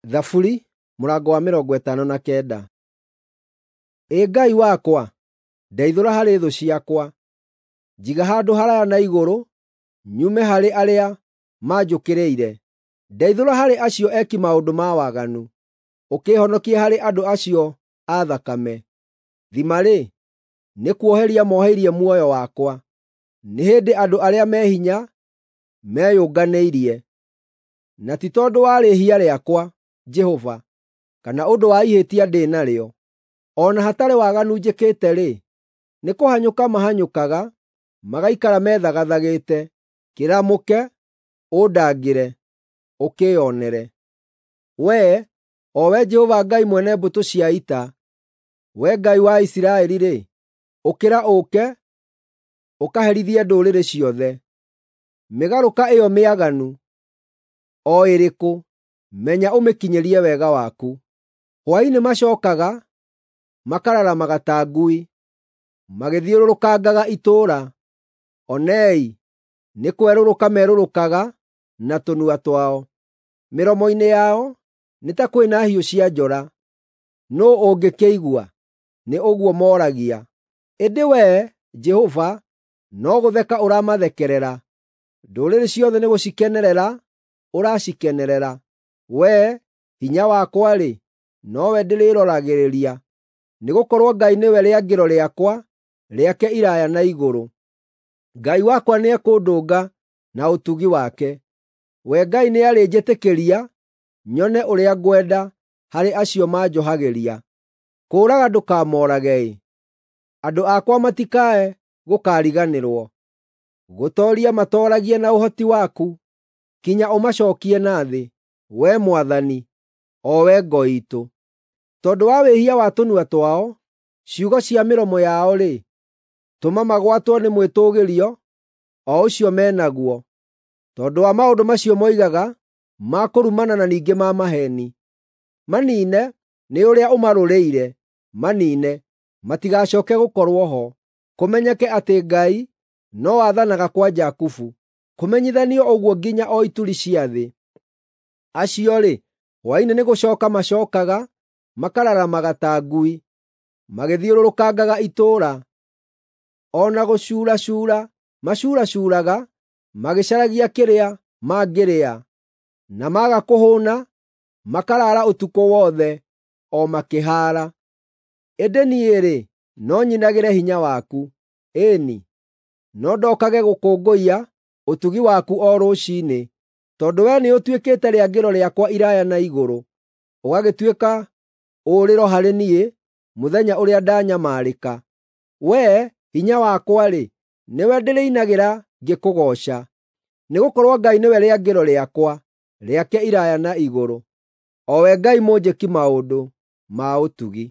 Thaburi mũrango wa 59. Ĩ Ngai wakwa, ndeithũra harĩ thũ ciakwa; njiga handũ haraaya na igũrũ, nyume harĩ arĩa manjũkĩrĩire. Ndeithũra harĩ acio eki maũndũ ma waganu, ũkĩĩhonokie harĩ andũ acio a thakame. Thima-rĩ, nĩ kuoheria moheirie muoyo wakwa, nĩ hĩndĩ andũ arĩa me hinya meyũnganĩirie. Na ti tondũ wa rĩĩhia rĩakwa, Jehova, kana ũndũ wa ihĩtia ndĩ narĩo. O na hatarĩ waganu njĩkĩte-rĩ, nĩ kũhanyũka mahanyũkaga, magaikara methagathagĩte. Kĩramũke, ũndangĩre, ũkĩĩonere. Wee, o Wee Jehova Ngai mwene mbũtũ cia ita, Wee Ngai wa Isiraeli-rĩ, ũkĩra ũũke, ũkaherithie ndũrĩrĩ ciothe. Mĩgarũka ĩyo mĩaganu, o ĩrĩkũ, menya ũmĩkinyĩrie wega waku. Hwaĩ-inĩ macookaga, makararamaga ta ngui, magĩthiũrũrũkangaga itũũra. Onei, nĩ kwerũrũka merũrũkaga na tũnua twao. Mĩromo-inĩ yao nĩ ta kwĩ na hiũ cia njora. Nũũ ũngĩkĩigua? Nĩ ũguo mooragia. Ĩndĩ wee, Jehova, no gũtheka ũramathekerera; ndũrĩrĩ ciothe nĩgũcikenerera ũracikenerera. Wee, hinya wakwa-rĩ, nowe ndĩrĩroragĩrĩria, nĩgũkorwo Ngai nĩwe rĩangĩro rĩakwa rĩake iraaya na igũrũ. Ngai wakwa nĩekũndũnga na ũtugi wake. We Ngai nĩarĩnjĩtĩkĩria nyone ũrĩa ngwenda harĩ acio manjohagĩria. Kũũraga ndũkamoorage-ĩ, andũ akwa matikae gũkariganĩrwo. Gũtooria matooragie na ũhoti waku, kinya ũmacookie na thĩ, Wee Mwathani, o Wee ngo iitũ. Tondũ wa wĩhia wa tũnua twao, ciugo cia mĩromo yao-rĩ, tũma magwatwo nĩ mwĩtũũgĩrio o ũcio me naguo, tondũ wa maũndũ macio moigaga ma kũrumana na ningĩ ma maheeni. Maniine nĩ ũrĩa ũmarũrĩire, maniine, matigacooke gũkorwo ho. Kũmenyeke atĩ Ngai no athanaga kwa Jakubu, kũmenyithanio ũguo nginya o ituri cia thĩ. Acio-rĩ, hwaĩ-inĩ nĩgũcooka macookaga, makararamaga ta ngui, magĩthiũrũrũkangaga itũũra. O na gũcuuracuura macuuracuuraga magĩcaragia kĩrĩa mangĩrĩa, na maga kũhũũna, makaraara ũtukũ wothe o makĩhaara. Ĩndĩ niĩ-rĩ, no nyinagĩre hinya waku, ĩĩ-ni, no ndokage gũkũngũiya ũtugi waku o rũciinĩ, tondũ wee nĩũtuĩkĩte rĩangĩro rĩakwa iraaya na igũrũ, ũgagĩtuĩka ũũrĩro harĩ niĩ mũthenya ũrĩa ndanyamarĩka. Wee, hinya wakwa-rĩ, nĩwe ndĩrĩinagĩra ngĩkũgooca, nĩgũkorwo Ngai nĩwe rĩangĩro rĩakwa rĩake iraaya na igũrũ, o we Ngai mũnjĩki maũndũ ma ũtugi.